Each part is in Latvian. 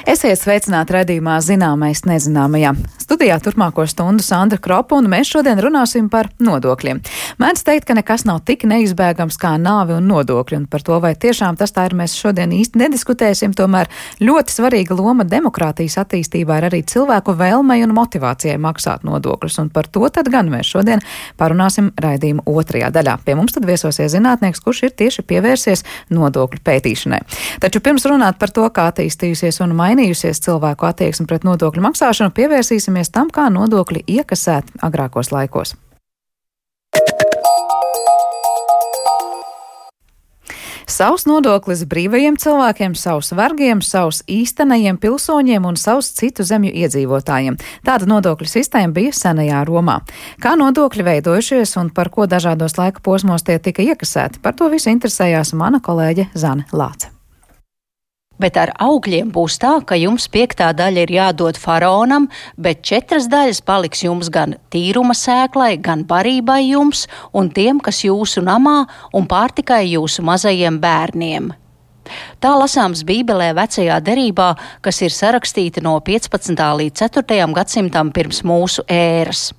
Esiet sveicināti raidījumā Zināmais nezināmajā. Studijā turpmāko stundu Sandra Kropa, un mēs šodien runāsim par nodokļiem. Mēdz teikt, ka nekas nav tik neizbēgams kā nāve un nodokļi, un par to, vai tiešām tas tā ir, mēs šodien īsti nediskutēsim. Tomēr ļoti svarīga loma demokrātijas attīstībā ir arī cilvēku vēlmei un motivācijai maksāt nodokļus, un par to tad gan mēs šodien parunāsim raidījuma otrajā daļā. Pie mums tad viesosies zinātnieks, kurš ir tieši pievērsies nodokļu pētīšanai. Taču pirms runāt par to, kā attīstījusies un mainījusies cilvēku attieksme pret nodokļu maksāšanu, pievērsīsimies tam, kā nodokļi iekasēti agrākos laikos. Savs nodoklis brīvajiem cilvēkiem, savs vergiem, savs īstenajiem pilsoņiem un savs citu zemju iedzīvotājiem. Tāda nodokļu sistēma bija senajā Romā. Kā nodokļi veidojušies un par ko dažādos laika posmos tie tika iekasēti? Par to visu interesējās mana kolēģe Zane Lāce. Bet ar augļiem būs tā, ka jums 5. daļa ir jādod faraonam, bet 4 daļas paliks jums gan tīruma sēklai, gan barībai jums un tiem, kas jūsu namā, un pārtikai jūsu mazajiem bērniem. Tā lasāms Bībelē vecajā derībā, kas ir sarakstīta no 15. līdz 4. gadsimtam pirms mūsu ēras.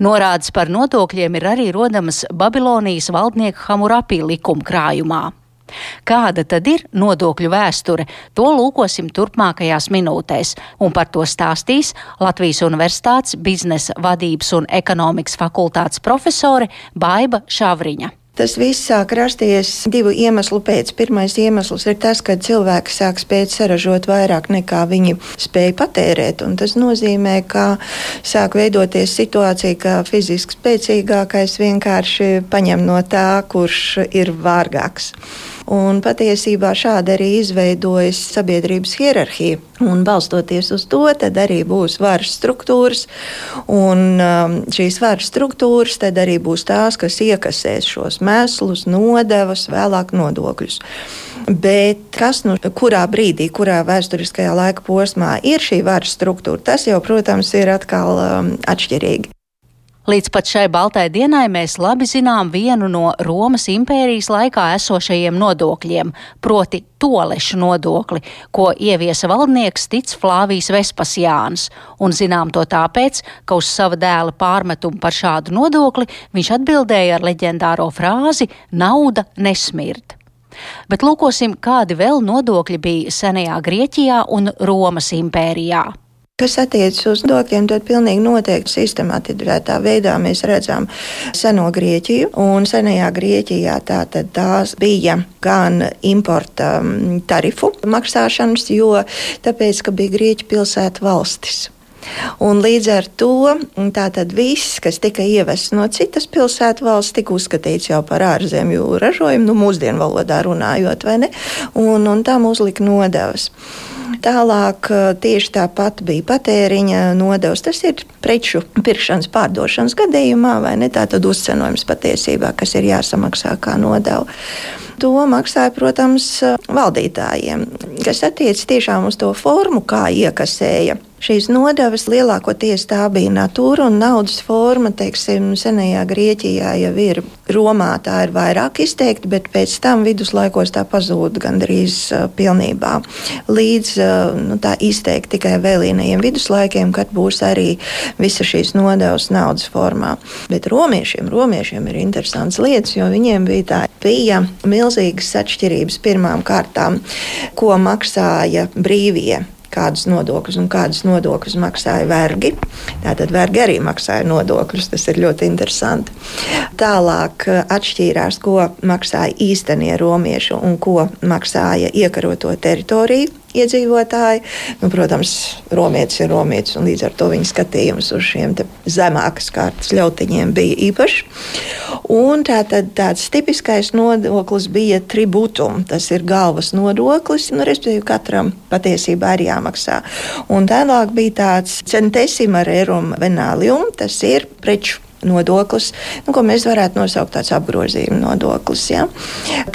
Norādes par nodokļiem ir arī rodamas Babilonijas valdnieka Hamurapī likuma krājumā. Kāda tad ir nodokļu vēsture? To lūkosim turpmākajās minūtēs, un par to stāstīs Latvijas Universitātes biznesa vadības un ekonomikas fakultātes profesore Baiba Šavriņa. Tas viss sāk rasties 2 iemeslu pēc. Pirmais iemesls ir tas, ka cilvēki sāk spēt saražot vairāk nekā viņi spēja patērēt. Un tas nozīmē, ka sāk veidoties situācija, ka fiziski spēcīgākais vienkārši paņem no tā, kurš ir vārgāks. Un patiesībā šādi arī izveidojas sabiedrības hierarhija. Un balstoties uz to, tad arī būs varas struktūras. Un šīs varas struktūras tad arī būs tās, kas iekasēs šos mēslus, nodevas, vēlāk nodokļus. Bet kas kurā brīdī, kurā vēsturiskajā laika posmā ir šī varas struktūra, tas jau, protams, ir atkal atšķirīgi. Līdz pat šai baltai dienai mēs labi zinām vienu no Romas impērijas laikā esošajiem nodokļiem, proti tolešu nodokli, ko ieviesa valdnieks Tic Flāvijs Vespasiāns. Un zinām to tāpēc, ka uz sava dēla pārmetumu par šādu nodokli viņš atbildēja ar leģendāro frāzi "nauda nesmird". Bet lūkosim, kādi vēl nodokļi bija senajā Grieķijā un Romas impērijā. Kas attiecas uz nodokļiem, tad pilnīgi noteikti sistematizētā veidā mēs redzam seno Grieķiju. Un senajā Grieķijā tās bija gan importa tarifu maksāšanas, jo tāpēc, ka bija Grieķu pilsētu valstis. Un līdz ar to tātad viss, kas tika ievests no citas pilsētu valsts, tika uzskatīts jau par ārzemju ražojumu, mūsdienu valodā runājot, vai ne? Un tam uzlika nodevas. Tālāk tieši tāpat bija patēriņa nodevs. Tas ir preču pirkšanas, pārdošanas gadījumā, vai ne? Tātad uzcenojums patiesībā, kas ir jāsamaksā kā nodeva. To maksāja, protams, valdītājiem, kas attiec tiešām uz to formu, kā iekasēja. Šīs nodevas lielākoties tā bija natūra un naudas forma, teiksim, senajā Grieķijā jau ir. Romā tā ir vairāk izteikti, bet pēc tam viduslaikos tā pazūd gandrīz pilnībā. Līdz tā izteikti tikai vēlīnajiem viduslaikiem, kad būs arī visa šīs nodevas naudas formā. Bet romiešiem ir interesants lietas, jo viņiem bija milzīgas atšķirības pirmām kārtām, ko maksāja brīvie. Kādus nodokļus maksāja vergi. Tātad vergi arī maksāja nodokļus, tas ir ļoti interesanti. Tālāk atšķīrās, ko maksāja īstenie romieši un ko maksāja iekaroto teritoriju iedzīvotāji. Protams, romietis ir romietis, un līdz ar to viņa skatījums uz šiem zemākas kārtas ļautiņiem bija īpašs. Un tāds tipiskais nodoklis bija tribūtum. Tas ir galvas nodoklis, respektīvi katram patiesībā ir jāmaksā. Un tālāk bija tāds centesima rerum venalium, tas ir preču nodoklis, ko mēs varētu nosaukt tāds apgrozījuma nodoklis. Ja?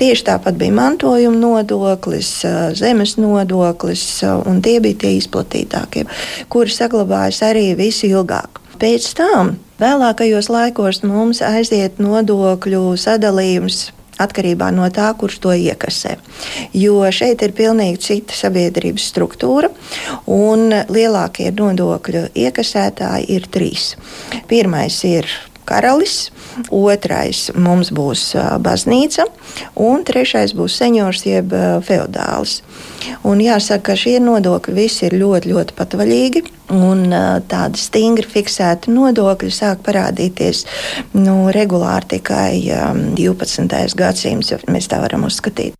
Tieši tāpat bija mantojuma nodoklis, zemes nodoklis, un tie bija tie izplatītākie, kuri saglabājas arī visilgāk. Pēc tam vēlākajos laikos mums aiziet nodokļu sadalījums atkarībā no tā, kurš to iekasē. Jo šeit ir pilnīgi cita sabiedrības struktūra, un lielākie nodokļu iekasētāji ir 3. Pirmais ir karalis, otrais mums būs baznīca, un trešais būs seņors jeb feodālis. Un jāsaka, ka šie nodokļi visi ir ļoti, ļoti patvaļīgi, un tādi stingri fiksēti nodokļi sāk parādīties regulāri tikai 12. gadsimts, ja mēs tā varam uzskatīt.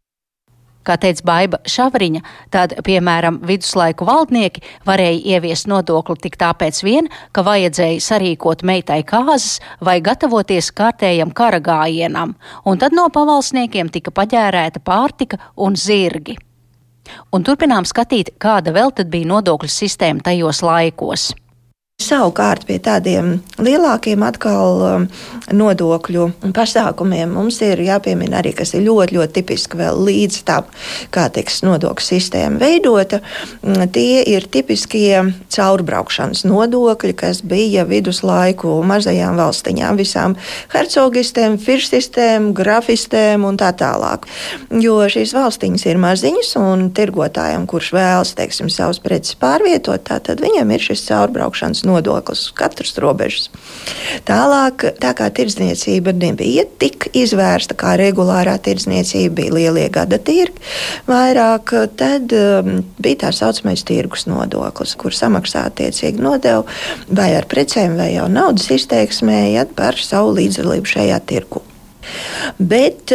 Kā teica Baiba Šavriņa, tad, piemēram, viduslaiku valdnieki varēja ieviest nodokli tik tāpēc vien, ka vajadzēja sarīkot meitai kāzas vai gatavoties kārtējam kara gājienam, un tad no pavalsniekiem tika paģērēta pārtika un zirgi. Un turpinām skatīt, kāda vēl tad bija nodokļu sistēma tajos laikos. Savukārt pie tādiem lielākiem atkal nodokļu pasākumiem mums ir jāpiemina arī, kas ir ļoti, ļoti tipiski vēl līdz tam, kā tiks nodokļu sistēma veidota. Tie ir tipiskie caurbraukšanas nodokļi, kas bija viduslaiku mazajām valstiņām, visām hercogistēm, firstistēm, grafistēm un tā tālāk. Jo šīs valstiņas ir maziņas un tirgotājiem, kurš vēlas, teiksim, savus preces pārvietot, tātad viņam ir šis caurbraukšanas nodoklis uz katras robežas. Tālāk, tā kā tirdzniecība nebija tik izvērsta, kā regulārā tirdzniecība, bija lielie gada tirgi vairāk, tad bija tā saucamais tirgus nodoklis, kur samaksā attiecīgi nodevu vai ar precēm vai jau naudas izteiksmē par savu līdzdalību šajā tirgu. Bet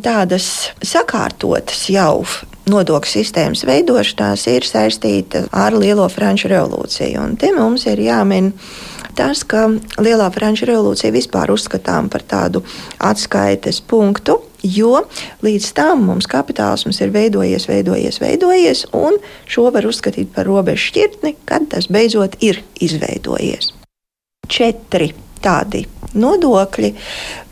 tādas sakārtotas jau nodokļu sistēmas veidošanās ir saistīta ar Lielo Franču revolūciju. Un te mums ir jāmin tas, ka Lielā Franču revolūcija vispār uzskatām par tādu atskaites punktu, jo līdz tam mums kapitālisms ir veidojies, un šo var uzskatīt par robežu šķirtni, kad tas beidzot ir izveidojies. 4 tādi nodokļi,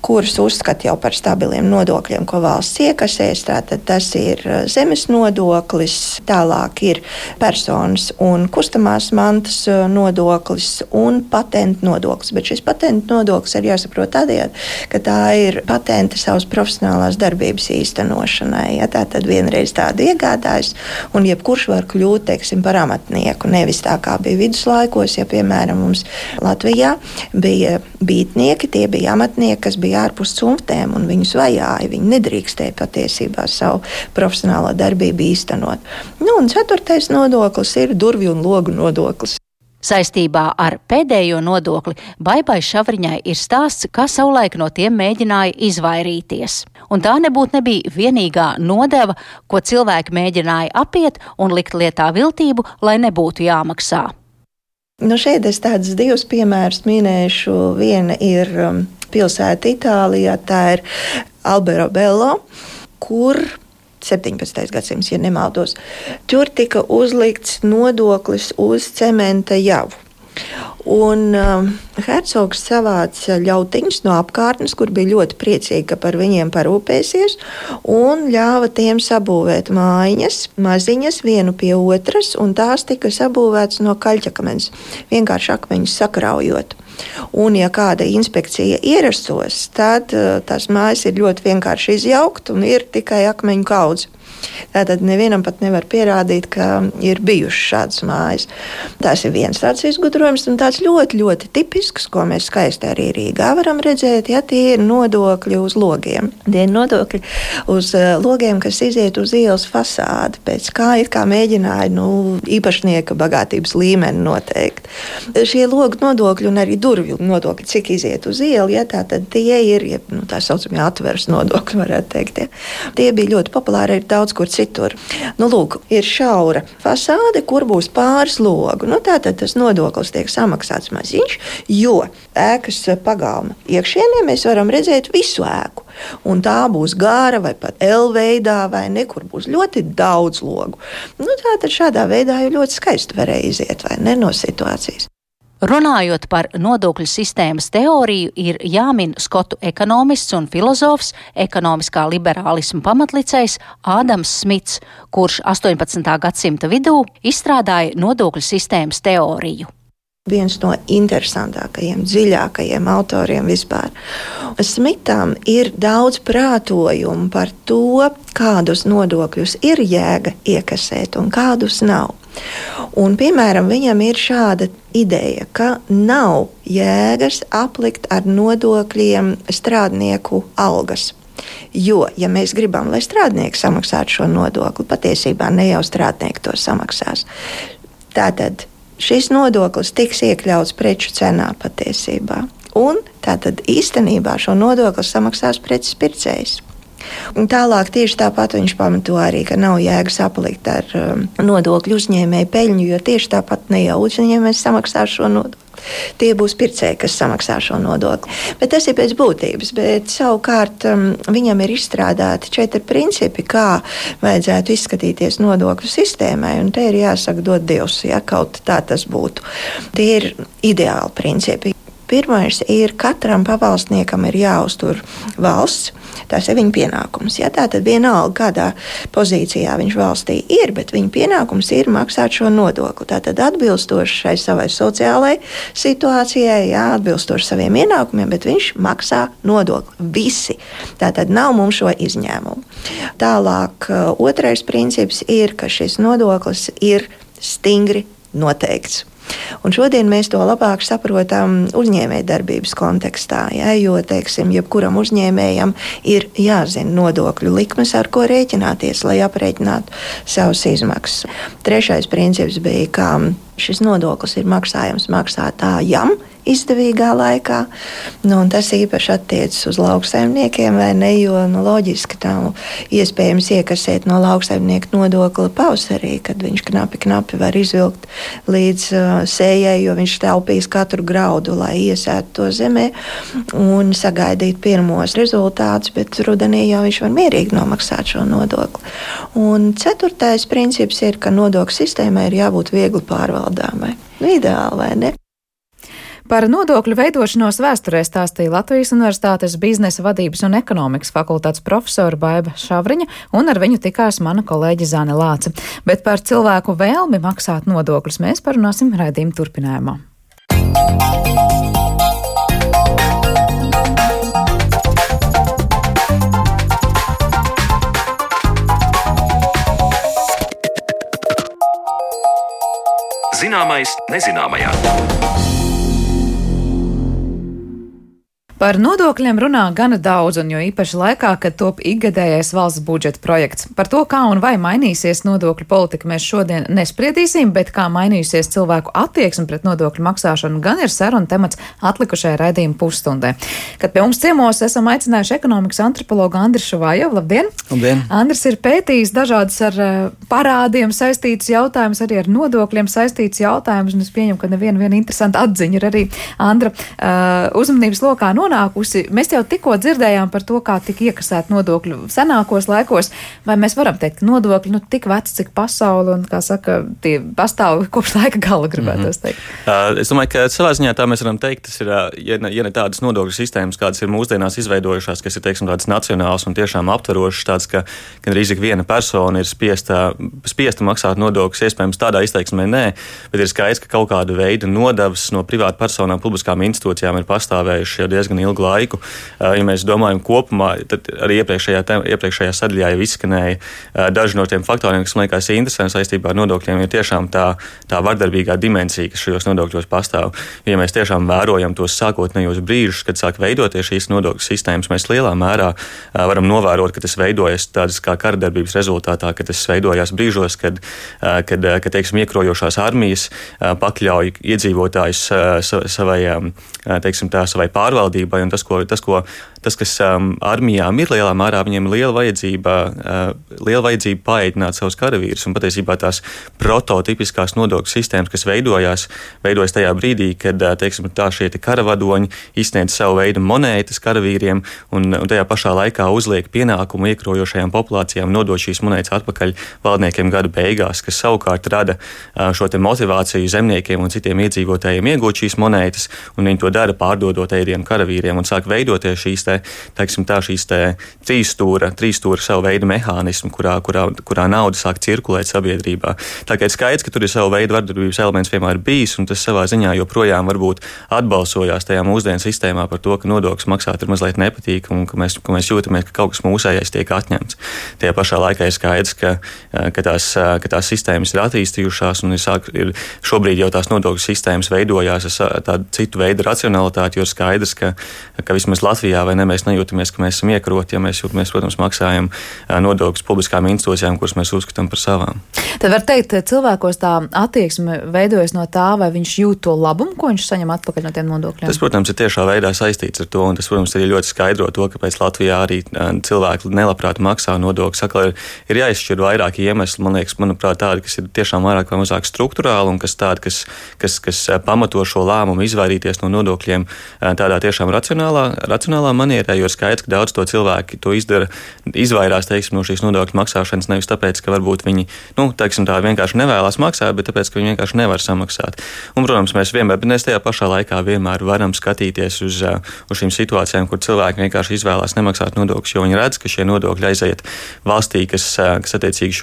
kurus uzskata jau par stabiliem nodokļiem, ko valsts iekasēs. Tātad tas ir zemes nodoklis, tālāk ir personas un kustamās mantas nodoklis un patentu nodoklis. Bet šis patentu nodoklis ir jāsaprot tādējādi, ka tā ir patenta savas profesionālās darbības īstenošanai. Ja, tātad vienreiz tādu iegādājas, un jebkurš var kļūt, teiksim, par amatnieku. Nevis tā kā bija viduslaikos, ja, piemēram, mums Latvijā bija bītnieki, tie bija amatnieki, kas bija ārpus cumftēm, un viņus vajāja. Viņi nedrīkstēja patiesībā savu profesionālo darbību īstenot. Un 4. nodoklis ir durvju un logu nodoklis. Saistībā ar pēdējo nodokli Baibai Šavriņai ir stāsts, kā savulaik no tiem mēģināja izvairīties. Un tā nebija vienīgā nodeva, ko cilvēki mēģināja apiet un likt lietā viltību, lai nebūtu jāmaksā. Šeit es tādus 2 piemērus minēšu. Viena ir pilsēta Itālijā, tā ir Alberobello, kur 17. gadsimts, ja nemaldos, tur tika uzlikts nodoklis uz cementa javu. Un hercogs savāca ļautiņus no apkārtnes, kur bija ļoti priecīgi, ka par viņiem parūpēsies, un ļāva tiem sabūvēt mājiņas, maziņas, vienu pie otras, un tās tika sabūvētas no kaļķakmens, vienkārši akmeņus sakraujot. Un, ja kāda inspekcija ierastos, tad tās mājas ir ļoti vienkārši izjaukt, un ir tikai akmeņu kaudze. Tātad nevienam pat nevar pierādīt, ka ir bijušas šādas mājas. Tas ir viens tāds izgudrojums, un tāds ļoti, ļoti tipisks, ko mēs skaisti arī Rīgā varam redzēt, ja tie ir nodokļi uz logiem. Tie ir nodokļi uz logiem, kas iziet uz ielas fasādi, pēc kā mēģināja īpašnieka bagātības līmeni noteikt. Šie logu nodokļi un arī durvju nodokļi, cik iziet uz ielu, ja, tātad tie ir, tā saucamie atveres nodokļi, varētu teikt. Ja. Tie bija ļoti populāri, ir daudz kur citur. Lūk, ir šaura fasāde, kur būs pāris logu. Tātad tas nodoklis tiek samaksāts maziņš, jo ēkas pagalma iekšienē mēs varam redzēt visu ēku. Un tā būs gara vai pat L veidā, vai nekur būs ļoti daudz logu. Tātad šādā veidā jau ļoti skaisti varēja iziet, vai ne, no situācijas. Runājot par nodokļu sistēmas teoriju, ir jāmin skotu ekonomists un filozofs, ekonomiskā liberālisma pamatlicējs Ādams Smits, kurš 18. gadsimta vidū izstrādāja nodokļu sistēmas teoriju. viens no interesantākajiem, dziļākajiem autoriem vispār. Smitam ir daudz prātojumu par to, kādus nodokļus ir jēga iekasēt un kādus nav. Un, piemēram, viņam ir šāda ideja, ka nav jēgas aplikt ar nodokļiem strādnieku algas. Jo, ja mēs gribam, lai strādnieki samaksātu šo nodokli, patiesībā ne jau strādnieki to samaksās. Tātad šis nodoklis tiks iekļauts preču cenā patiesībā. Un tātad īstenībā šo nodokli samaksās preces pircējs. Un tālāk tieši tāpat viņš pamato arī, ka nav jēgas aplikt ar nodokļu uzņēmēju peļņu, jo tieši tāpat ne jau uzņēmējs samaksās šo nodokli. Tie būs pircēji, kas samaksā šo nodokli. Bet tas ir pēc būtības. Bet savukārt viņam ir izstrādāti 4 principi, kā vajadzētu izskatīties nodokļu sistēmai. Un te ir jāsaka dot Dievs, ja kaut tā tas būtu. Tie ir ideāli principi. Pirmais ir, katram pavalsniekam ir jāuztur valsts. Tas ir viņa pienākums. Ja? Tātad vienalga, kādā pozīcijā viņš valstī ir, bet viņa pienākums ir maksāt šo nodokli. Tātad atbilstoši šai savai sociālajai situācijai, jā, atbilstoši saviem ienākumiem, bet viņš maksā nodokli. Visi. Tātad nav mums šo izņēmumu. Tālāk, otrais princips ir, ka šis nodoklis ir stingri noteikts. Un šodien mēs to labāk saprotam uzņēmējdarbības kontekstā, ja, jo, teiksim, jebkuram uzņēmējam ir jāzina nodokļu likmes, ar ko rēķināties, lai aprēķinātu savas izmaksas. Trešais princips bija, ka šis nodoklis ir maksājams maksātājam izdevīgā laikā. Tas īpaši attiecas uz lauksaimniekiem, vai ne, jo loģiski nav iespējams iekasēt no lauksaimnieka nodokli pavasarī, kad viņš knapi var izvilkt līdz sējai, jo viņš taupīs katru graudu, lai iesētu to zemē un sagaidīt pirmos rezultātus, bet rudenī jau viņš var mierīgi nomaksāt šo nodokli. Un 4. princips ir, ka nodokļu sistēmai ir jābūt viegli pārvaldāmai. Ideāli, vai ne? Par nodokļu veidošanos vēsturē stāstīja Latvijas Universitātes biznesa vadības un ekonomikas fakultātes profesora Baiba Šavriņa, un ar viņu tikās mana kolēģe Zane Lāce. Bet par cilvēku vēlmi maksāt nodokļus mēs parunāsim raidījuma turpinājumā. Zināmais nezināmajā. Par nodokļiem runā gana daudz, un jo īpaši laikā, kad top ikgadējais valsts budžeta projekts. Par to, kā un vai mainīsies nodokļu politika, mēs šodien nespriedīsim, bet kā mainīsies cilvēku attieksme pret nodokļu maksāšanu, gan ir saruna temats atlikušajai raidījuma pusstundai. Kad pie mums ciemos esam aicinājuši ekonomikas antropologu Andrisu Šuvājovu. Labdien! Labdien! Andris ir pētījis dažādas ar parādiem saistītas jautājumus, arī ar nodokļiem saistītas jautājumus, un es pieņemu, ka neviena interesanta atziņa ir arī Andra uzmanības lokā nonākusi. Mēs jau tikko dzirdējām par to, kā tika iekasēt nodokļu senākos laikos, vai mēs varam teikt, ka nodokļi tik veci, cik pasauli, un, kā saka, tie pastāv kopš laika gala, gribētos teikt. Es domāju, ka savā ziņā tā mēs varam teikt, tas ir, ja ne tādas nodokļu sistēmas, kādas ir mūsdienās izveidojušās, kas ir, teiksim, tādas nacionālas un tiešām aptverošas, tādas, ka gandrīz ik viena persona ir spiesta maksāt nodokļus, iespējams tādā izteiksmē nē, bet ir skaidrs, ka kaut kāda veida nodevas no privātu personām, publiskām institūcijām ir pastāvējuši jau diezgan ilgu laiku. Ja mēs domājam kopumā, tad arī iepriekšējā sadaļā jau izskanēja daži no tiem faktoriem, kas man liekas interesanti saistībā ar nodokļiem, ir tiešām tā vardarbīgā dimensija, kas šajos nodokļos pastāv. Ja mēs tiešām vērojam tos sākotnējos brīžus, kad sāk veidoties šīs nodokļu sistēmas, mēs lielā mērā varam novērot, ka tas veidojas tādas kā karadarbības rezultātā, ka tas veidojās brīžos, kad teiksim, iekrojošās armijas pakļauj iedzīvotājus savai pārvaldībai, un tas, kas armijām ir lielā mērā, viņiem ir liela vajadzība paēdināt savus karavīrus, un patiesībā tās prototipiskās nodokļu sistēmas, kas veidojas tajā brīdī, kad, teiksim, šie karavadoņi izsniedz savu veidu monētas karavīriem, un tajā pašā laikā uzliek pienākumu iekrojošajām populācijām nodot šīs monētas atpakaļ valdniekiem gadu beigās, kas savukārt rada šo te motivāciju zemniekiem un citiem iedzīvotājiem iegūt šīs monētas, un viņi to dara pārdodot ēdienu karavīriem karavīriem un sāk veidoties šīs trīsstūra savu veidu mehānismu, kurā nauda sāk cirkulēt sabiedrībā. Tā kā ir skaidrs, ka tur ir savu veidu vardarbības elements vienmēr bijis, un tas savā ziņā joprojām varbūt atbalsojās tajā mūsdienu sistēmā par to, ka nodokļus maksāt ir mazliet nepatīk un ka mēs jūtamies, ka kaut kas mūsējais tiek atņemts. Tajā pašā laikā ir skaidrs, ka tās sistēmas ir attīstījušās un ir šobrīd jau tās nodokļu sistēmas veidojās ar tādu citu veidu racionalitāti, jo ir skaidrs, ka vismaz Latvijā vai ne mēs nejūtamies, ka mēs esam iekaroti, ja mēs jūtamies, protams, maksājam nodokļus publiskām institūcijām, kuras mēs uzskatām par savām. Tad var teikt, cilvēkos tā attieksme veidojas no tā, vai viņš jūt to labumu, ko viņš saņem atpakaļ no tiem nodokļiem? Tas, protams, ir tiešā veidā saistīts ar to, un tas, protams, arī ļoti skaidro to, kāpēc Latvijā arī cilvēki nelabprāt maksā nodokļus. Atkal ir jāizšķir vairāki iemesli, manuprāt, tādi, kas ir tiešām vairāk vai mazāk struktūrāli un kas pamato šo lēmumu izvairīties no nodokļiem tādā tiešām racionālā manierē, jo ir skaidrs, ka daudz to cilvēki to izvairās, no šīs nodokļu maksāšanas nevis tāpēc, ka varbūt viņi, tā vienkārši nevēlas maksāt, bet tāpēc, ka viņi vienkārši nevar samaksāt. Un, protams, mēs tajā pašā laikā vienmēr varam skatīties uz šīm situācijām, kur cilvēki vienkārši izvēlās nemaksāt nodokļus, jo viņi redz, ka šie nodokļi aiziet valstī, kas attiecīgi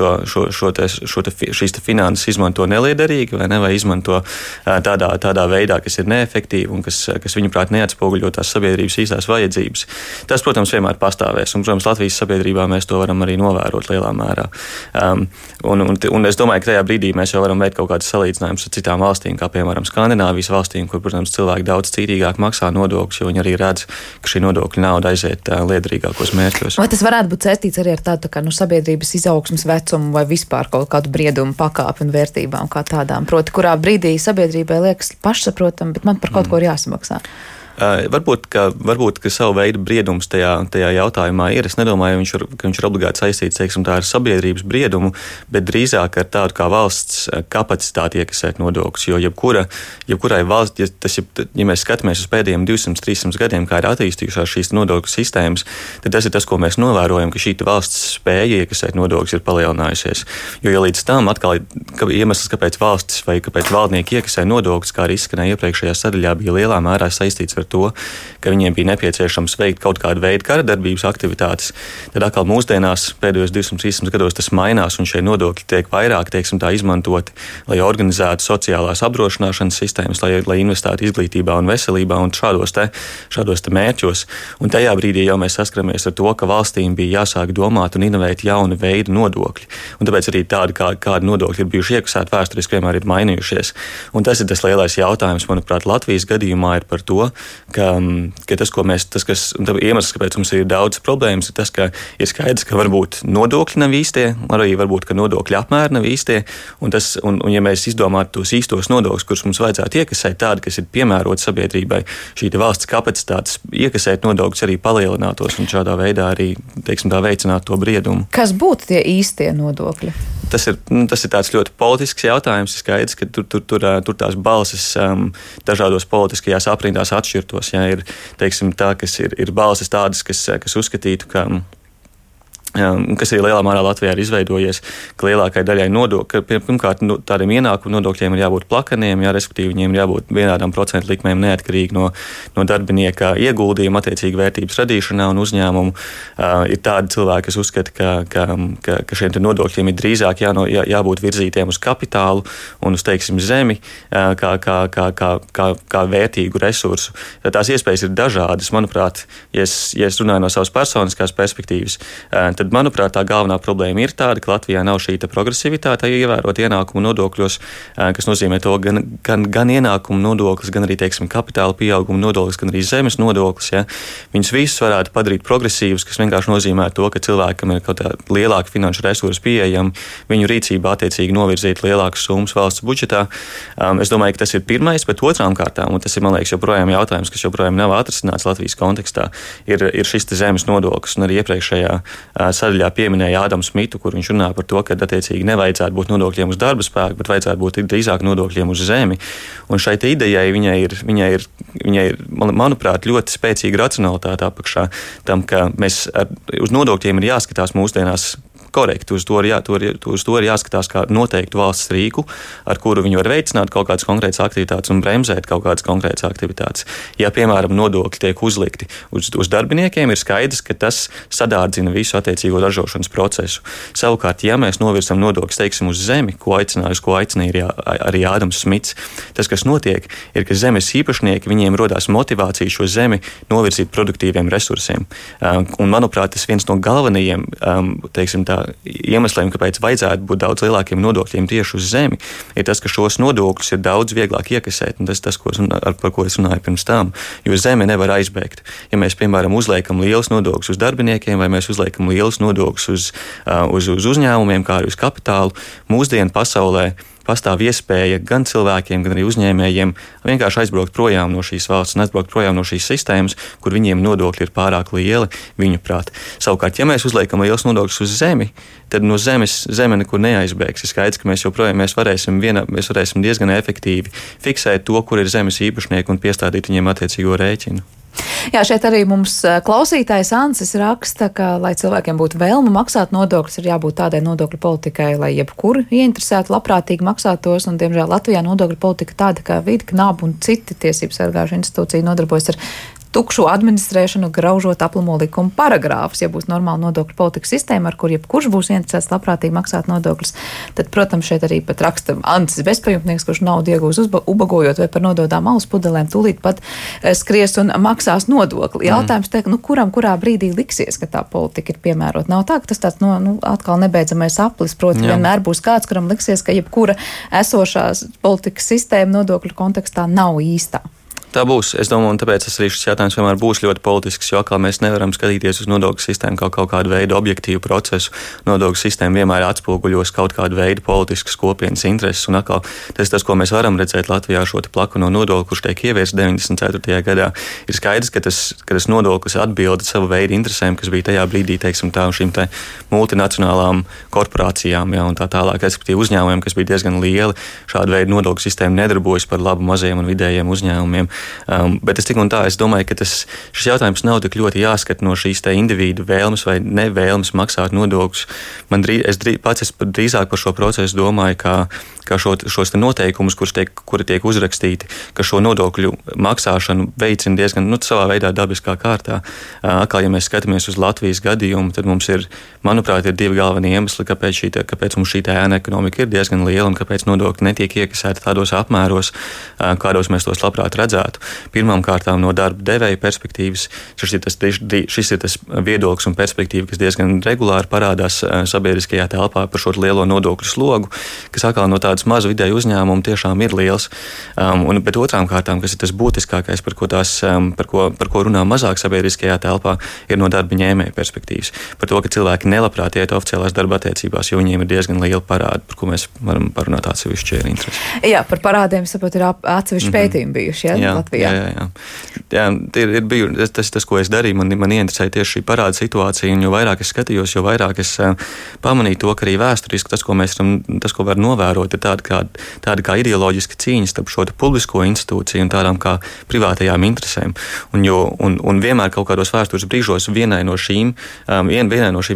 šīs finanses izmanto neliederīgi vai izmanto tādā veidā, kas ir neefektīvi un kas viņuprāt neatspoguļo tās sabiedrības īstās vajadzības. Tas, protams, vienmēr pastāvēs. Un, protams, Latvijas sabiedrībā mēs to varam arī novērot lielā mērā. Un es domāju, ka tajā brīdī mēs jau varam veikt kaut kādas salīdzinājumus ar citām valstīm, kā piemēram Skandināvijas valstīm, kur, protams, cilvēki daudz cītīgāk maksā nodokļus, jo viņi arī redz, ka šī nodokļu nauda aiziet liederīgākos mērķos. Vai tas varētu būt saistīts arī ar tādu sabiedrības izaugsmes vecumu vai vispār kaut kādu briedumu pakāpi un vērtībām kā tādām? Proti, kurā brīdī sabiedrībai liekas pašsaprotam, bet man par kaut ko ir jāsamaksā? Varbūt, ka savu veidu briedums tajā jautājumā ir. Es nedomāju, ka viņš ir obligāti saistīts, ar sabiedrības briedumu, bet drīzāk ar tādu kā valsts kapacitāti iekasēt nodokļus. Jo jebkurai valsts, ja mēs skatāmies uz pēdējiem 200-300 gadiem, kā ir attīstījušās šīs nodokļu sistēmas, tad tas ir tas, ko mēs novērojam, ka šī valsts spēja iekasēt nodokļus ir palielinājusies. Jo ja līdz tam atkal iemesls, kāpēc valstis vai kāpēc valdnieki iekasē nodokļus, kā arī izskanēja iepriekšējā sadaļā, bija lielā mērā saistīts ar to, ka viņiem bija nepieciešams veikt kaut kādu veidu karadarbības aktivitātes. Tad atkal mūsdienās pēdējos 200-300 gados tas mainās un šie nodokļi tiek vairāk, izmantoti, lai organizētu sociālās apdrošināšanas sistēmas, lai investētu izglītībā un veselībā un šādos te mērķos. Un tajā brīdī jau mēs saskaramies ar to, ka valstīm bija jāsāk domāt un inovēt jaunu veidu nodokļi. Un tāpēc arī tādi, kādi nodokļi ir bijuši iekasēti vēsturiski, vienmēr ir mainījušies. Un tas ir tas lielais jautājums, manuprāt, Latvijas gadījumā ir par to, ka iemesls, kāpēc mums ir daudz problēmas, ir tas, ka ir skaidrs, ka varbūt nodokļi nav īstie, arī varbūt, ka nodokļu apmēri nav īstie, un ja mēs izdomātu tos īstos nodokļus, kurus mums vajadzētu iekasēt tādi, kas ir piemēroti sabiedrībai, šī valsts kapacitātes iekasēt nodokļus arī palielinātos un šādā veidā arī, veicinātu to briedumu. Kas būtu tie īstie nodokļi? Tas ir tāds ļoti politisks jautājums. Ir skaidrs, ka tur tās balsis dažādos politiskajās aprindās atšķirtos. Ja, ir balsis tādas, kas uzskatītu, kas arī lielā mērā Latvijā ir izveidojies, ka lielākai daļai nodokļu, pirmkārt, tādiem ienākumu nodokļiem ir jābūt plakaniem, respektīvi viņiem ir jābūt vienādām procentu likmēm neatkarīgi no darbinieka ieguldījuma, attiecīgi vērtības radīšanā un uzņēmumu. Ir tādi cilvēki, kas uzskata, ka šiem nodokļiem ir drīzāk jābūt virzītiem uz kapitālu un uz, zemi, kā vērtīgu resursu. Tās iespējas ir dažādas. Manuprāt, ja es runāju no savas personiskās perspektīvas, tad, manuprāt, tā galvenā problēma ir tāda, ka Latvijā nav šī progresivitāte ievērot ienākumu nodokļos, kas nozīmē to gan ienākumu nodoklis, gan arī, kapitāla pieauguma nodoklis, gan arī zemes nodoklis. Ja. Viņus visus varētu padarīt progresīvus, kas vienkārši nozīmē to, ka cilvēkam ir kaut kā lielāka finanšu resursi pieejami, viņu rīcībā attiecīgi novirzīt lielākas summas valsts budžetā. Es domāju, ka tas ir pirmais, bet otrām kārtām, un tas ir, man liekas, joprojām jautājums, kas joprojām nav atrisināts Latvijas kontekstā, ir šis zemes nodoklis, un arī iepriekšējā sadaļā pieminēja Ādams Smitu, kur viņš runā par to, ka attiecīgi nevajadzētu būt nodokļiem uz darba spēku, bet vajadzētu būt drīzāk nodokļiem uz zemi. Un šai idejai viņai ir, manuprāt, ļoti spēcīga racionalitāte apakšā tam, ka mēs uz nodokļiem ir jāskatās mūsdienās korekti. Uz to ir jāskatās kā noteiktu valsts rīku, ar kuru viņi var veicināt kaut kādas konkrētas aktivitātes un bremzēt kaut kādas konkrētas aktivitātes. Ja, piemēram, nodokļi tiek uzlikti uz darbiniekiem, ir skaidrs, ka tas sadārdzina visu attiecīgo ražošanas procesu. Savukārt, ja mēs novirzam nodokļus, teiksim, uz zemi, ko aicināja arī Ādams Smits, tas, kas notiek, ir, ka zemes īpašnieki, viņiem rodās motivācija šo zemi novirzīt produktīviem resursiem. Un, manuprāt, tas viens no galvenajiem, teiksim tā, iemesliem, kāpēc vajadzētu būt daudz lielākiem nodokļiem tieši uz zemi, ir tas, ka šos nodokļus ir daudz vieglāk iekasēt, un tas, par ko es runāju pirms tam, jo zeme nevar aizbēgt. Ja mēs, piemēram, uzliekam lielus nodokļus uz darbiniekiem vai mēs uzliekam lielus nodokļus uz uzņēmumiem, kā arī uz kapitālu, mūsdienu pasaulē pastāv iespēja gan cilvēkiem, gan arī uzņēmējiem vienkārši aizbraukt projām no šīs valsts un aizbraukt projām no šīs sistēmas, kur viņiem nodokļi ir pārāk lieli, viņu prāt. Savukārt, ja mēs uzliekam liels nodokļus uz zemi, tad no zeme nekur neaizbēgs. Ir skaidrs, ka mēs joprojām varēsim diezgan efektīvi fiksēt to, kur ir zemes īpašnieki un piestādīt viņiem attiecīgo rēķinu. Jā, šeit arī mums klausītājs Ansis raksta, ka, lai cilvēkiem būtu vēlme maksāt nodokļus, ir jābūt tādai nodokļu politikai, lai jebkuru ieinteresētu labprātīgi maksāt tos, un, diemžēl, Latvijā nodokļu politika tāda, kā vidi, knābu un citi tiesības sargājuši institūcija nodarbojas ar tukšu administrēšanu, graužot aplamo likuma paragrāfus. Ja būs normāla nodokļu politika sistēma, ar kur jebkurš būs interesēts labprātīgi maksāt nodokļus, tad, protams, šeit arī pat raksta Antis bezpajumtnieks, kurš naudu iegūs ubagojot vai par nododām alus pudelēm, tūlīt pat skries un maksās nodokli. Jautājums te, kurā brīdī liksies, ka tā politika ir piemērota. Nav tā, ka tas tāds, atkal nebeidzamais aplis, proti vienmēr būs kāds, kuram liksies, ka jebkura esošās politikas sistēma nodokļu kontekstā nav īstā. Tā būs. Es domāju, un tāpēc arī šis jautājums vienmēr būs ļoti politisks, jo atkal mēs nevaram skatīties uz nodokļu sistēmu kā kaut kādu veidu objektīvu procesu. Nodokļu sistēma vienmēr atspoguļos kaut kādu veidu politiskas kopienas intereses, un atkal tas, ko mēs varam redzēt Latvijā, šo plakano nodokli, kurš tiek ieviests 94. gadā, ir skaidrs, ka tas nodoklis atbilda savu veidu interesēm, kas bija tajā brīdī, teiksim tā, šīm te multinacionālām korporācijām, un tā tālāk, respektīvi uzņēmumiem, kas bija diezgan lieli. Šāda veida nodokļu sistēma nedarbojas par labu mazajiem un vidējiem uzņēmumiem. Bet es tik un tā, es domāju, ka šis jautājums nav tik ļoti jāskat no šīs te individu vēlmes vai nevēlmes maksāt nodokļus. Es drīzāk par šo procesu domāju, kā šos te noteikumus, kuri tiek uzrakstīti, ka šo nodokļu maksāšanu veicina diezgan savā veidā dabiskā kārtā. Atkal, ja mēs skatāmies uz Latvijas gadījumu, tad mums ir, manuprāt, ir divi galvenie iemesli, kāpēc mums šī ēna ekonomika ir diezgan liela un kāpēc nodokļi netiek iekasēti tādos apmēros, kādos mēs tos labprāt redzētu. Pirmām kārtām no darba devēja perspektīvas šis ir tas viedoklis un perspektīva, kas diezgan regulāri parādās sabiedriskajā telpā par šo lielo nodokļu slogu, kas atkal no tādas mazu vidēju uzņēmumu tiešām ir liels. Bet otrām kārtām, kas ir tas būtiskākais, par ko runā mazāk sabiedriskajā telpā, ir no darba ņēmēja perspektīvas. Par to, ka cilvēki nelabprāt iet oficiālās darba attiecībās, jo viņiem ir diezgan liela parāda, par ko mēs varam parunāt atsevišķi ir interesi. Jā, par parādiem, saprot, ir atsevišķi pētījumi bijuši, ja? Jā. Tas, ko es darīju, man ieinteresēja tieši šī parāda situācija, un jo vairāk es skatījos, jo vairāk es pamanīju to, ka arī vēsturiski tas, ko var novērot, ir tāda kā ideoloģiska cīņa starp šo publisko institūciju un tādām kā privātajām interesēm. Un vienmēr kaut kādos vēstures brīžos vienai no šīm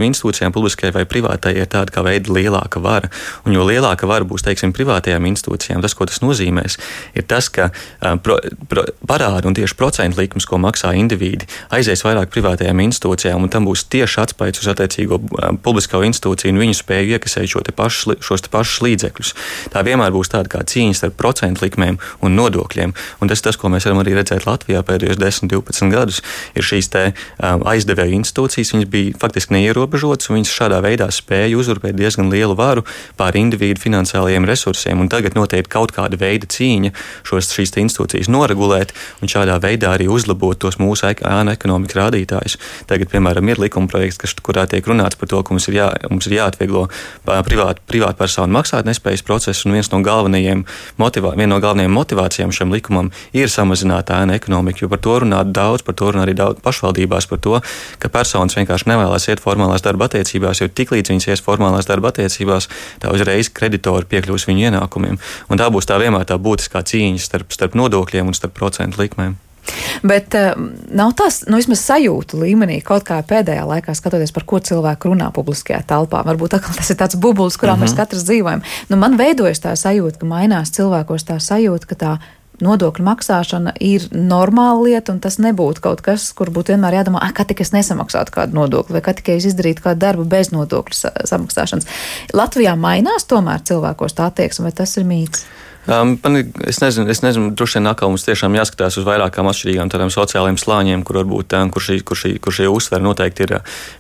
institūcijām, publiskai vai privātai, ir tāda kā veida lielāka vara. Un jo lielāka vara būs, teiksim, privātajām institūcijām, tas, ko tas nozīmēs, ir tas, ka parādi un tieši procentu likmes, ko maksā indivīdi, aizies vairāk privātajām institūcijām, un tam būs tieši atspaids uz attiecīgo publisko institūciju un viņu spēju iekasēt šos pašus līdzekļus. Tā vienmēr būs tāda kā cīņa starp procentu likmēm un nodokļiem. Un tas, ko mēs varam arī redzēt Latvijā pēdējos 10-12 gadus, ir šīs te aizdevēju institūcijas, viņas bija faktiski neierobežotas, un viņas šādā veidā spēja uzurpēt diezgan lielu varu pār individu finansiālajiem resursiem, un tagad noteikti kaut kāda veida cīņa šīs institūcijas noregulēt un šādā veidā arī uzlabot tos mūsu ēna ekonomikas rādītājus. Tagad, piemēram, ir likumprojekts, kurā tiek runāts par to, ka mums ir jāatvieglo privātpersonu maksātnespējas procesu, un viena no galvenajām motivācijām šiem likumam ir samazināt ēna ekonomiku, jo par to runā arī daudz pašvaldībās, par to, ka personas vienkārši nevēlas iet formālās darba attiecībās, jo tiklīdz viņas ies formālās darba attiecībās, tā uzreiz kreditori piekļūs viņu ienākumiem. Un tā būs vienmēr tā būtiskā cīņa starp nodokļiem un starp procentu likmēm. Bet nav tas, vismaz sajūtu līmenī, kaut kā pēdējā laikā skatoties, par ko cilvēku runā publiskajā telpā. Varbūt atkal tas ir tāds bubulis, kurā mēs katrs dzīvojam. Man veidojas tā sajūta, ka mainās cilvēkos tā sajūta, ka tā nodokļu maksāšana ir normāla lieta, un tas nebūtu kaut kas, kur būtu vienmēr jādomā, kā tik es nesamaksātu kādu nodokli, vai kā tikai es izdarītu kādu darbu bez nodokļu samaksāšanas. Latvijā mainās tomēr cilvēkos tā attieksme, vai tas ir mīts? Es nezinu, droši vien atkal mums tiešām jāskatās uz vairākām atšķirīgām tādām sociālajiem slāņiem, kur varbūt kur šī uzsver noteikti ir,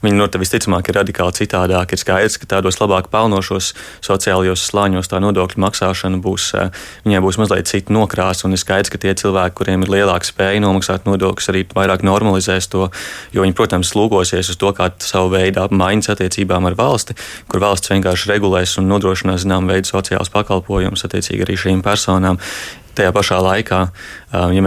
viņi visticamāk ir radikāli citādāk. Ir skaidrs, ka tādos labāk pelnošos sociālajos slāņos tā nodokļu maksāšana viņai būs mazliet cita nokrāsa, un ir skaidrs, ka tie cilvēki, kuriem ir lielāka spēja nomaksāt nodokļus, arī vairāk normalizēs to, jo viņi, protams, lūgosies uz to, kā savu veidu apmaiņas attiecībām ar valsti, kur valsts vienkārši regulēs un nodrošinās zinām veidu sociālus pakalpojumus attiecīgi arī šīm personām. Tajā pašā laikā, ja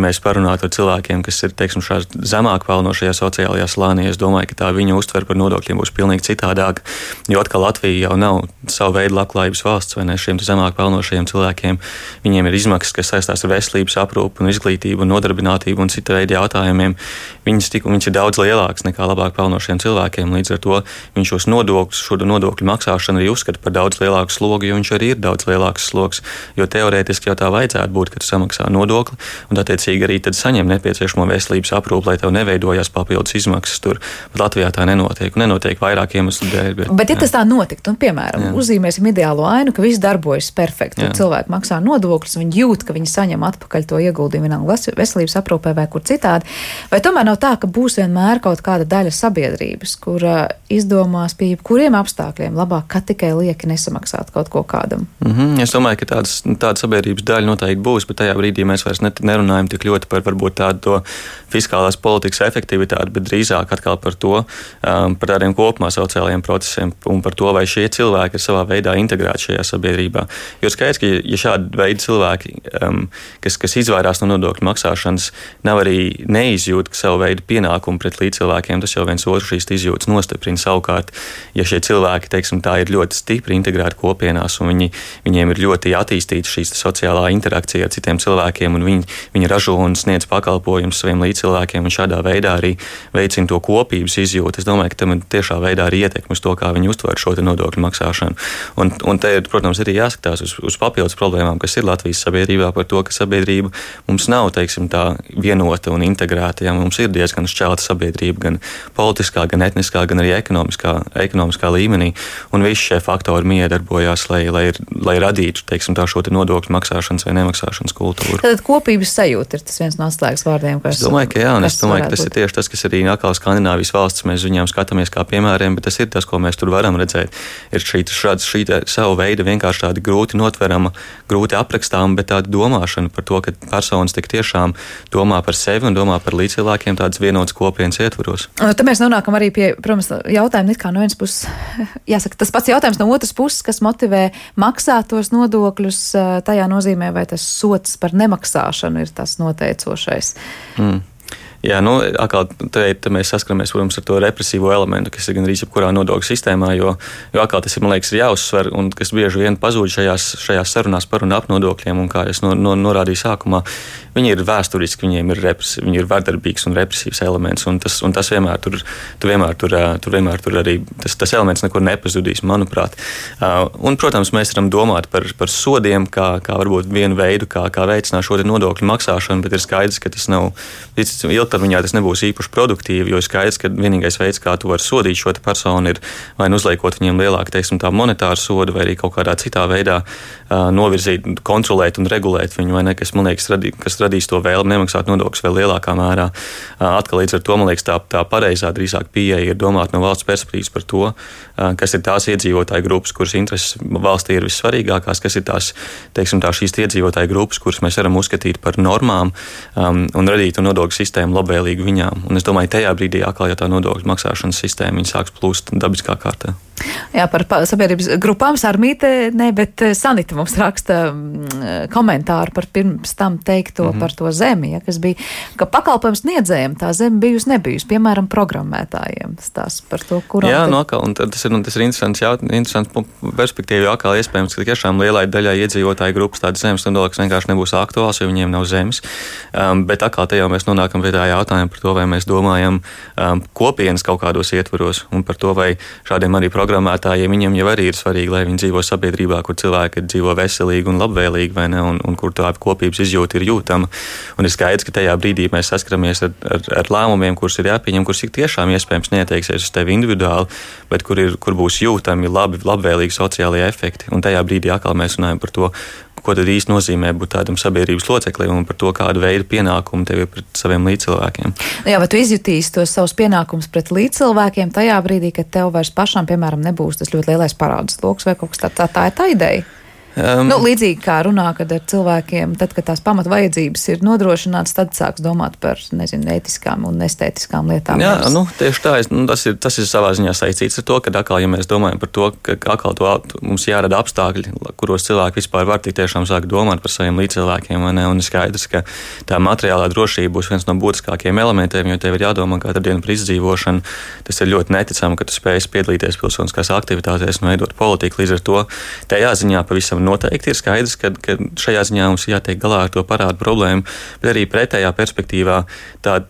mēs parunātu ar cilvēkiem, kas ir, teiksim, šādi zemāk pelnošajā sociālajā slānī, es domāju, ka tā viņa uztver par nodokļiem būs pilnīgi citādāka, jo atkal Latvija jau nav savu veidu labklājības valsts, vai ne, šiem zemāk pelnošajiem cilvēkiem. Viņiem ir izmaksas, kas saistās ar veselības aprūpu un izglītību un nodarbinātību un cita veida jautājumiem. Viņas ir daudz lielākas nekā labāk pelnošiem cilvēkiem, līdz ar to viņš šos nodokļus, šo nodokļu maksāšanu arī uzskata par daudz lielāku slogu, jo viņš arī ir daudz lielāks slogs, jo teorētiski jau tā vajadzētu būt, ka tu samaksā nodokli un attiecīgi arī tad saņem nepieciešamo veselības aprūpi, lai tev neveidojās papildus izmaksas tur. Bet Latvijā tā nenotiek vairāk iemeslu dēļ. Bet ja tas tā notiktu, un piemēram, uzzīmēsim ideālo ainu, ka viss darbojas perfekti, tad cilvēki maksā nodokļus, viņi jūt, ka viņi saņem atpakaļ to ieguldījumu vienalga veselības aprūpē vai kur citādi. Vai tomēr nav tā, ka būs vienmēr kaut kāda daļa sabiedrības, kura izdomās pie jebkuriem apstākļiem labāk, ka tikai lieki nesamaksāt kaut ko kādam? Es domāju, ka tāda sabiedrības daļa noteikti būs, bet tajā brīdī mēs vairs nerunājam tik ļoti par varbūt tādu fiskālās politikas efektivitāti, bet drīzāk atkal par to, par tādiem kopumā sociālajiem procesiem un par to, vai šie cilvēki ir savā veidā integrēti šajā sabiedrībā. Jo skaidrs, ka ja šādi veidi cilvēki, kas izvairās no nodokļu maksāšanas, nav arī neizjūt savu veidu pienākumu pret līdzcilvēkiem, tas jau viens otru šīs izjūtas nostiprina. Savukārt, ja šie cilvēki, teiksim, tā ir ļoti stipri integrēti kopienās un viņiem ir ļoti attīstīta šīs sociālā interakcija ar citiem cilvēkiem, un viņi ražo un sniedz pakalpojumus saviem līdzcilvēkiem, un šādā veidā arī veicina to kopības izjūtu. Es domāju, ka tam ir tiešā veidā arī ietekme uz to, kā viņi uztver šo nodokļu maksāšanu. Un te, protams, arī jāskatās uz papildus problēmām, kas ir Latvijas sabiedrībā, par to, ka sabiedrība mums nav, teiksim, tā vienota un integrēta. Ja, mums ir diezgan šķelta sabiedrība, gan politiskā, gan etniskā, gan arī ekonomiskā līmenī, un visi šie faktori miedarbojās, lai radītu, teiksim, šo nodokļu maksāšanas vai nemaksāšanas kultūru. Tad kopības sajūta ir tas viens no atslēgas vārdiem, kas... Es domāju, ka jā, un es domāju, ka tas ir tieši tas, kas arī atkal Skandināvijas valsts, mēs viņām skatāmies kā piemēriem, bet tas ir tas, ko mēs tur varam redzēt. Ir šī savu veidu vienkārši tāda grūti notverama, grūti aprakstāma, bet tāda domāšana par to, ka personas tik tiešām domā par sevi un domā par līdzcilvēkiem tādas vienotas kopienas ietvaros. Tad mēs nonākam arī pie, protams, jautājuma it kā no vienas puses, jāsaka, tas pats jautājums no otras puses, kas motivē maksāt tos nodokļus, tajā nozīmē, vai tas sots par nemaksāšanu ir tas noteicošais. Jā, atkal te mēs saskaramies, protams, ar to represīvo elementu, kas ir gandrīz jebkurā nodokļu sistēmā, jo atkal tas ir, man liekas, ir jāuzsver, un kas bieži vien pazūd šajās sarunās par un ap nodokļiem, un kā es norādīju sākumā, viņi ir vēsturiski, viņi ir vardarbīgs un represīvs elements, un tas vienmēr tur arī tas elements nekur nepazudīs, manuprāt. Un, protams, mēs varam domāt par sodiem, kā varbūt vienu veidu, kā veicināt šo nodokļu maksāšanu, bet ir skaidrs, ka tas nav ilgtermiņā tas nebūs īpaši produktīvi, jo ir skaidrs, ka vienīgais veids, kā tu vari sodīt šo personu, ir vai uzliekot viņiem lielāku, teiksim, tā monetāru sodu, vai arī kaut kādā citā veidā novirzīt, kontrolēt un regulēt viņu, vai ne, kas, man liekas, kas radīs to vēlmi nemaksāt nodokļus vēl lielākā mērā. Atkal līdz ar to, man liekas, tā pareizā drīzāk pieeja ir domāt no valsts perspektīvas par to, kas ir tās iedzīvotāju grupas, kuras intereses valstī ir vissvarīgākās, kas ir tās, teiksim, šīs iedzīvotāju grupas, kuras mēs varam uzskatīt par normām un radīt nodokļu sistēmu labvēlīgu viņām. Un es domāju, tajā brīdī atkal, ja tā nodokļu maksāšanas sistēma sāks plūst dabiskā kārtā. Jā, par sabiedrības grupām Sarmīte, bet Sanita mums raksta komentāru par pirms tam teikto par to zemi, ja, kas bija, ka pakalpojums sniedzējiem tā zeme bijusi, piemēram, programmētājiem. Tās par to, kurām... Jā, un tas ir interesants perspektīva, jo atkal iespējams, ka tiešām lielai daļai iedzīvotāju grupas tādas zemes nodoklis vienkārši nebūs aktuāls, jo viņiem nav zemes. Bet atkal te jau mēs nonākam pie tā jautājuma par to, vai mēs domājam kopienas kaut kādos ietvaros un par to, vai šādiem arī programmētājiem viņiem jau arī ir svarīgi, lai viņi dzīvo sabiedrībā, kur cilvēki dzīvo veselīgi un labvēlīgi, vai ne, un kur tā kopības izjūta ir jūtama. Un ir skaidrs, ka tajā brīdī mēs saskaramies ar lēmumiem, kurus ir jāpieņem, kurus ir tiešām iespējams neatteiksies uz tevi individuāli, bet kur būs jūtami labvēlīgi sociālie efekti. Un tajā brīdī atkal mēs runājam par to, ko tad īsti nozīmē būt tādam sabiedrības loceklim un par to, kādu veidu pienākumu tev ir pret saviem līdzcilvēkiem. Jā, bet tu izjutīsi tos savus pienākumus pret līdzcilvēkiem tajā brīdī, kad tev vairs pašam, piemēram, nebūs tas ļoti lielais parādu sloks vai kaut kas tā ir tā ideja. Līdzīgi kā runā, kad ar cilvēkiem, tad, kad tās pamatvajadzības ir nodrošinātas, tad sāks domāt par, ētiskām un estētiskām lietām. Jā, tieši tā. Tas ir savā ziņā saistīts ar to, ka atkal, ja mēs domājam par to, ka atkal mums jārada apstākļi, kuros cilvēki vispār var tik tiešām sākt domāt par saviem līdzcilvēkiem, vai ne, un skaidrs, ka tā materiālā drošība būs viens no būtiskākajiem elementiem, jo tev ir jādomā katru dienu par izdzīvošanu. Tas ir ļoti neticami, ka tu spēj piedalīties pilsoniskās aktivitātēs un veidot politiku. Līdz ar to tajā ziņā pavisam noteikti ir skaidrs, ka šajā ziņā mums jātiek galā ar to parādu problēmu, bet arī pretējā perspektīvā tā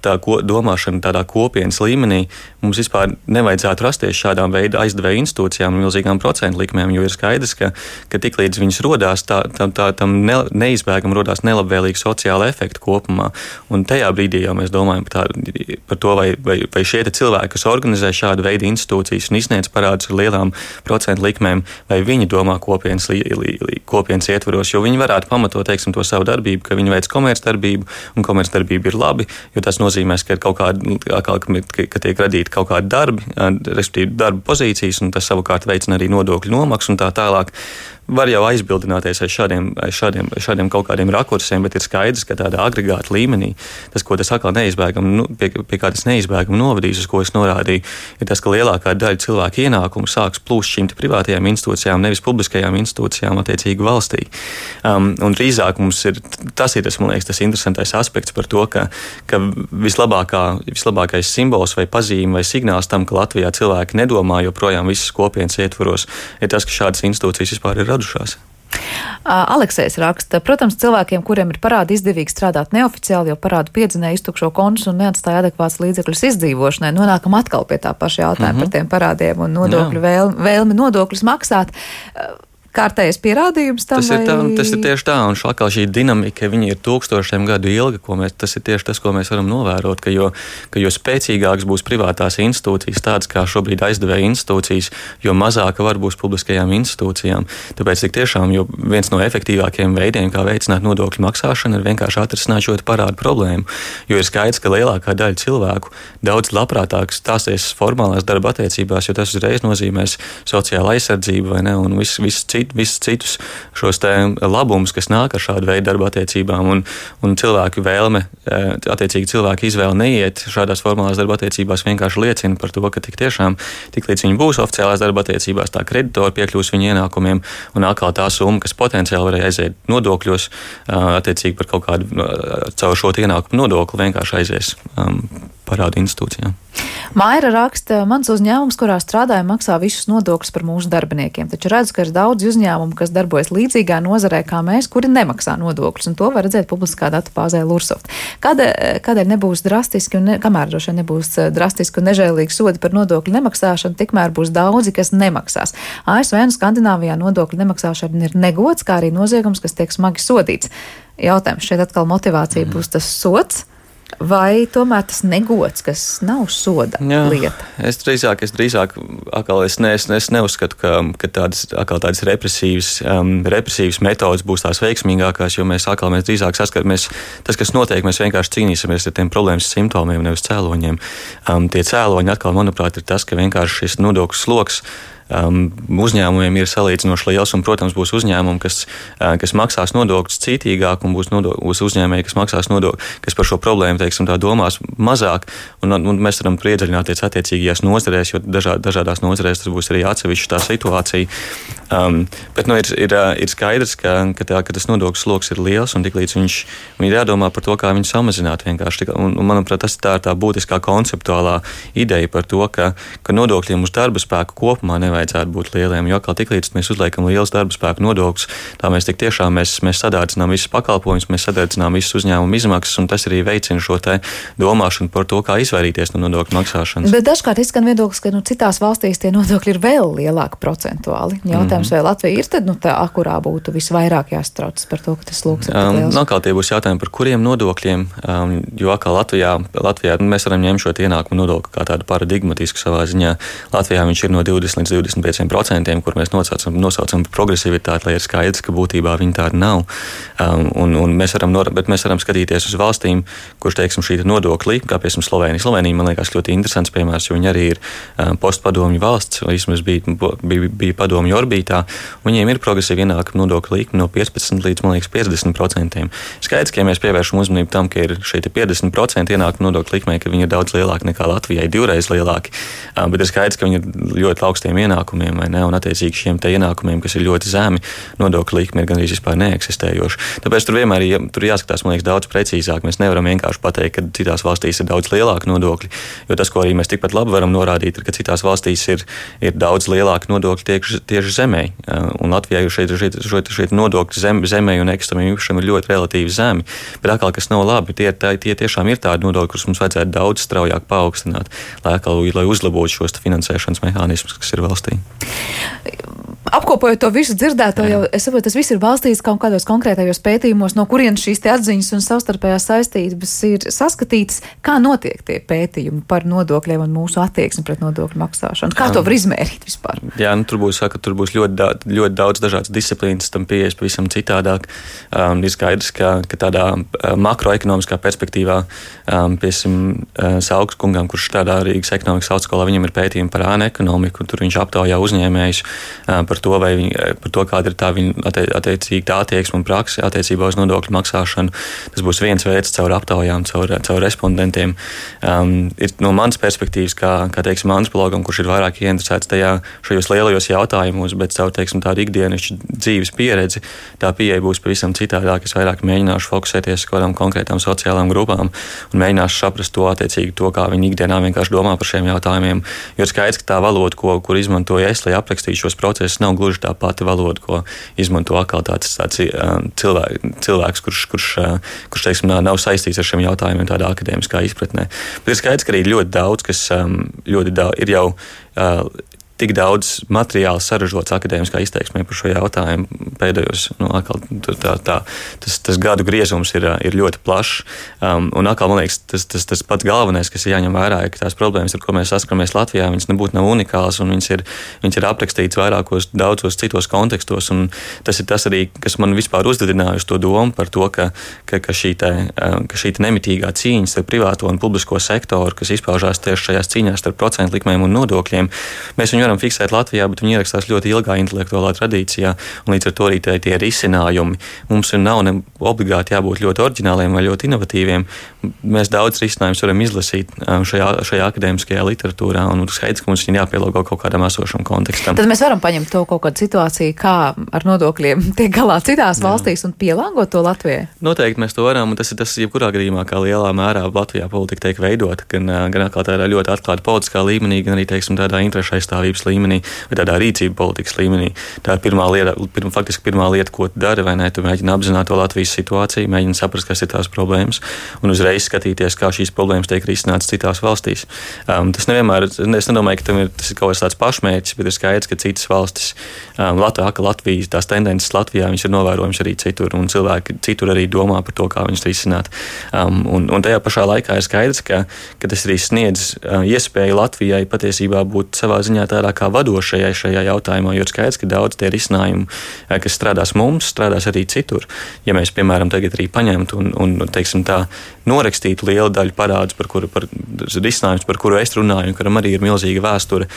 domāšana tādā kopienas līmenī mums vispār nevajadzētu rasties šādām veidu aizdevēju institūcijām un milzīgām procentu likmēm, jo ir skaidrs, ka tiklīdz viņas rodās, tam neizbēgam rodās nelabvēlīgi sociāla efekti kopumā. Un tajā brīdī jau mēs domājam par to, vai šie cilvēki, kas organizē šādu veidu institūcijas un izsniedz parādus ar lielām procentu likmēm, vai viņi domā kopienas ietvaros, jo viņi varētu pamatot, to savu darbību, ka viņi veic komercdarbību, un komercdarbība ir labi, jo tas nozīmēs, ka ka tiek radīti kaut kādi darbi, respektīvi darba pozīcijas, un tas savukārt veicina arī nodokļu nomaksu un tā tālāk. Var jau aizbildināties aiz šādiem kaut kādiem rakursiem, bet ir skaidrs, ka tādā agregāta līmenī tas, ko tas atkal pie kā tas neizbēgami novadīs, uz ko es norādīju, ir tas, ka lielākā daļa cilvēku ienākumu sāks plūst šīm privātajām institūcijām, nevis publiskajām institūcijām attiecīgi valstī. Un drīzāk mums ir tas, man liekas, tas interesantais aspekts par to, ka vislabākais simbols vai pazīme vai signāls tam, ka Latvijā cilvēki nedomā joprojām visas kopienas ietvaros, ir tas, ka šādas institūcijas vispār ir radušās. Aleksējs raksta, protams, cilvēkiem, kuriem ir parādi izdevīgi strādāt neoficiāli, jo parādu piedzinēja iztukšo kontus un neatstāja adekvāts līdzekļus izdzīvošanai, nonākam atkal pie tā paša jautājuma par tiem parādiem un nodokļu vēlmi nodokļus maksāt. Kārtējais pierādījums tam? Tas ir tieši tā, un šī dinamika, viņa ir tūkstošiem gadu ilga, tas ir tieši tas, ko mēs varam novērot, ka jo spēcīgāks būs privātās institūcijas, tādas kā šobrīd aizdevēja institūcijas, jo mazāka var būs publiskajām institūcijām. Tāpēc tik tiešām, jo viens no efektīvākajiem veidiem, kā veicināt nodokļu maksāšanu, ir vienkārši atrisināt šo parādu problēmu, jo ir skaidrs, ka lielākā daļa cilvēku daudz labprātāk stāsies formālās darba attiecībās, jo tas uzreiz nozīmēs sociāla aizsardzību, vai ne, un visus citus šos labumus, kas nāk ar šādu veidu darba attiecībām, un cilvēku vēlme, attiecīgi cilvēku izvēle neiet šādās formālās darba attiecībās vienkārši liecina par to, ka tik tiešām, tiklīdz viņi būs oficiālās darba attiecībās, tā kreditori piekļūs viņu ienākumiem, un atkal tā summa, kas potenciāli varēja aiziet nodokļos, attiecīgi par kaut kādu caur šo ienākumu nodokli vienkārši aizies parādu institūcijām. Maira raksta, mans uzņēmums, kurā strādāju, maksā visus nodokļus par mūsu darbiniekiem, taču redzu, ka ir daudz uzņēmumu, kas darbojas līdzīgā nozarē kā mēs, kuri nemaksā nodokļus, un to var redzēt publiskā datubāzē Lursoft. Kādēļ nebūs drastiski, kamēr droši vien nebūs drastiski un nežēlīgi sodi par nodokļu nemaksāšanu, tikmēr būs daudzi, kas nemaksās. ASV un Skandināvijā nodokļu nemaksāšana ir negods, kā arī noziegums, kas tiek smagi sodīts. Jautājums šeit atkal motivācija būs tas sods, vai tomēr tas negods, kas nav soda lieta? Es drīzāk atkal es neuzskatu, ka tādas represīvas metodas būs tās veiksmīgākās, jo mēs drīzāk saskaramies, tas, kas notiek, mēs vienkārši cīnīsimies ar tiem problēmas simptomiem, nevis cēloņiem. Tie cēloņi atkal, manuprāt, ir tas, ka vienkārši šis nodokļu sloks uzņēmumiem ir salīdzinoši liels, un, protams, būs uzņēmumi, kas maksās nodokļus cītīgāk, un būs uzņēmēji, kas maksās nodokļus, kas par šo problēmu, teiksim, tā domās mazāk, un mēs varam iedziļināties attiecīgajās nozarēs, jo dažādās nozarēs tas būs arī atsevišķa tā situācija. Bet ir skaidrs, ka tas nodokļu sloks ir liels, un tiklīdz viņi ir jādomā par to, kā viņu samazināt vienkārši. Un manuprāt, tas ir tā būtiskā konceptuālā ideja par to, ka nodokļiem uz darba spēku kopumā nevajadzētu būt lieliem, jo tiklīdz mēs uzliekam liels darba spēku nodokļus, tā mēs tik tiešām mēs sadārdzinām visus pakalpojumus, mēs sadārdzinām visus uzņēmumu izmaksas, un tas arī veicina šo te domāšanu par to, kā izvairīties no nodokļu maksāšanas. Bet dažkārt izskan viedoklis, ka citās valstīs tie nodokļi ir vēl lielāki procentuāli. Jautājums, vai Latvija ir tad tā, kurā būtu visvairāk jāstraucas par to, ka tas sloks ir tik liels? Atkal tie būs jautājumi par kuriem nodokļiem, jo atkal Latvijā mēs varam ņemt šo ienākumu nodokli kā tādu paradigmatisku savā ziņā. Latvijā viņš ir no 20 līdz 25%, kur mēs nosaucam progresivitāti, lai ir skaidrs, ka būtībā viņi tāda nav. Bet mēs varam skatīties uz valstīm, kurš, teiksim, šī nodokļi, kā piemēram Slovēnija. Slovēnija, man liekas, ļoti interesants piemērs, jo viņi arī ir postpadomju valsts, vai vismaz bija padomju orbītā. Viņiem ir progresīva ienākuma nodokļa likme no 15 līdz, man liekas, 50%. Skaidrs, ka ja mēs pievēršam uzmanību tam, ka ir šeit 50% ienākuma nodokļa likmē, ka viņi ir daudz lielāki nekā Latvijai, 2 reizes lielāki, bet ir skaidrs, ka viņi ir ļoti augstiem ienākumiem, vai ne, un attiecīgi šiem te ienākumiem, kas ir ļoti zemi, nodokļa likme ir gandrīz vispār neeksistējoša. Tāpēc tur vienmēr tur jāskatās, man liekas, daudz precīzāk. Mēs nevaram vienkārši pateikt, ka citās valstīs ir daudz lielāki nodokļi, jo tas, ko arī mēs tikpat labi varam norādīt, ir, ka citās valstīs ir daudz lielāki nodokļi tieši zemē, un Latvijā šeit nodokļi zemē un nekustamiem īpašumiem ir ļoti relatīvi zemi, bet atkal, kas nav labi, tie tiešām ir tādi nodokļi, kurus mums vajadzētu daudz straujāk paaugstināt, lai uzlabotu šos finansēšanas mehānismus, kas ir valstī. Apkopojot to visu dzirdēto, jau es saprotu, tas viss ir balstīts kaut kādos konkrētajos pētījumos, no kurienes šīs te atziņas un savstarpējās saistības ir saskatītas. Kā notiek tie pētījumi par nodokļiem un mūsu attieksmi pret nodokļu maksāšanu? Kā to var izmērīt vispār? Jā, tur būs ļoti daudz dažādas disciplīnas, tam pieejas pavisam citādāk. Ir skaidrs, ka tādā makroekonomiskā perspektīvā, piemēram, Sauks kungam, kurš strādā Rīgas ekonomikas augstskolā, viņam ir pētījumi par ēnu ekonomiku, un tur viņš aptaujā uzņēmējus par to, kāda ir tā viņa attiecīga attieksme un prakse attiecībā uz nodokļu maksāšanu. Tas būs viens veids caur aptaujām, caur respondentiem. Ir no manas perspektīvas, kā teiksim, antropologam, kurš ir vairāk ieinteresēts šajos lielajos jautājumos, bet caur, teiksim, tādu ikdienišķu dzīves pieredzi, tā pieeja būs pavisam citādāk. Es vairāk mēģināšu fokusēties uz kādām konkrētām sociālām grupām un mēģināšu saprast to, kā viņi ikdienā vienkārši domā par šiem jautājumiem. Jo ir skaidrs, ka tā valoda, kur izmantoju es, lai aprakstītu šos procesus, nav gluži tā pati valoda, ko izmanto atkal tāds cilvēks, kurš teiksim, nav saistīts ar šiem jautājumiem tādā akadēmiskā izpratnē. Bet ir skaidrs, ka arī ļoti daudz, kas ir jau tik daudz materiāla saražots akadēmiskā izteiksmē par šo jautājumu pēdējos, tas gadu griezums ir ļoti plašs. Un atkal, man liekas, tas pats galvenais, kas ir jāņem vērā, ir, ka tās problēmas, ar ko mēs saskaramies Latvijā, viņas nebūtu nav unikālas, un viņas ir aprakstītas vairākos daudzos citos kontekstos, un tas ir tas arī, kas man vispār uzdedinājuši to domu par to, ka šī nemitīgā cīņa starp privāto un publisko sektoru, kas izpaužās tieši šajās cīņās starp procentu likmēm un nodokļiem, mēs viņu varam fiksēt Latvijā, bet viņi ierakstās ļoti ilgā intelektuālā tradīcijā, un līdz ar to arī tie risinājumi. Mums nav obligāti jābūt ļoti oriģināliem vai ļoti inovatīviem. Mēs daudz risinājumus varam izlasīt šajā akadēmiskajā literatūrā, un skaidrs, ka mums ir jāpielāgo kaut kādam esošam kontekstam. Tad mēs varam paņemt to kaut kādu situāciju, kā ar nodokļiem tiek galā citās valstīs un pielāgot to Latvijai? Noteikti mēs to varam, un tas jebkurā gadījumā, kā lielā mērā Latvijā politika tiek veidota, gan atkal tādā ļoti atklāta politiskā līmenī, gan arī, teiksim, tādā interešu aizstāvības līmenī vai tādā rīcība politikas līmenī. Tā ir faktiski pirmā lieta, ko tu dari, vai ne? Tu mēģini apzināt to Latvijas situāciju, mēģini saprast, kas ir tās problēmas, un uzreiz skatīties, kā šīs problēmas tiek risinātas citās valstīs. Tas nevienmēr, es nedomāju, ka tas ir kaut kāds tāds pašmērķis, bet ir skaidrs, ka citas valstis, Latvijas, tās tendences Latvijā, viņas ir novērojams arī citur, un cilvēki citur arī domā par to, kā viņas risināt. Un tajā pašā laikā ir skaidrs, ka tas arī sniedz iespēju Latvijai patiesībā būt savā ziņā tādā vairāk kā vadošajai šajā jautājumā, jo ir skaidrs, ka daudz tie risinājumi, kas strādās mums, strādās arī citur. Ja mēs, piemēram, tagad arī paņemtu un teiksim tā, norakstītu lielu daļu parādus, par risinājumus, par kuru es runāju, un kuram arī ir milzīga vēsture,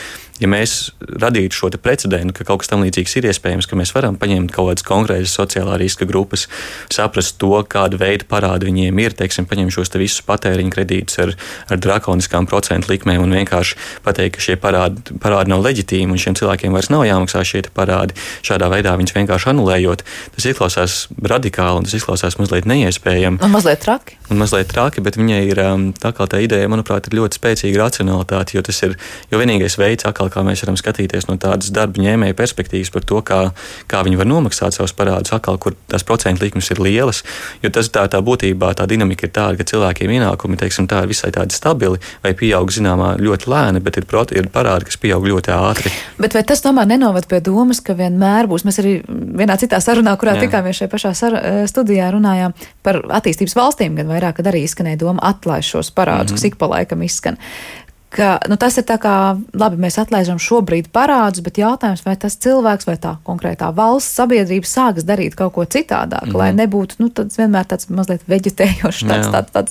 ja mēs radītu šo precedentu, ka kaut kas tam līdzīgs ir iespējams, ka mēs varam paņemt kaut kādas konkrētas sociālā riska grupas, saprast to, kāda veida parādi viņiem ir, teiksim, paņemt šos visus patēriņu kredītus ar drakoniskām procentu likmēm un vienkārši pateikt, ka šie parādi nav leģitīmi un šiem cilvēkiem vairs nav jāmaksā šie parādi, šādā veidā viņus vienkārši anulējot. Tas izklausās radikāli un tas izklausās mazliet neiespējami. Un mazliet traki. Bet viņai ir tā ideja, manuprāt, ir ļoti spēcīga racionalitāte, jo vienīgais veids, kā mēs varam skatīties no tādas darba ņēmēja perspektīvas par to, kā viņi var nomaksāt savus parādus, kur tās procentu likmes ir lielas, jo tas tā būtībā tā dinamika ir tāda, ka cilvēkiem ienākumi, teiksim, tā ir visai tādi stabili vai pieaug zināmā ļoti lēni, bet ir parādi, kas pieaug ļoti ātri. Bet vai tas tomēr nenovad pie domas, ka vienmēr būs, mēs arī vienā citā sarunā, kurā tikāmies šajā pašā studijā runājām par attīstības valstīm, gan vairāk, kad arī izskanēja doma atlaist šos parādus, kas ik pa laikam izskan. Tas ir tā kā, labi, mēs atlaižam šobrīd parādus, bet jautājums, vai tas cilvēks vai tā konkrētā valsts sabiedrība sāks darīt kaut ko citādāk, lai nebūtu, tāds vienmēr tāds mazliet veģetējošs,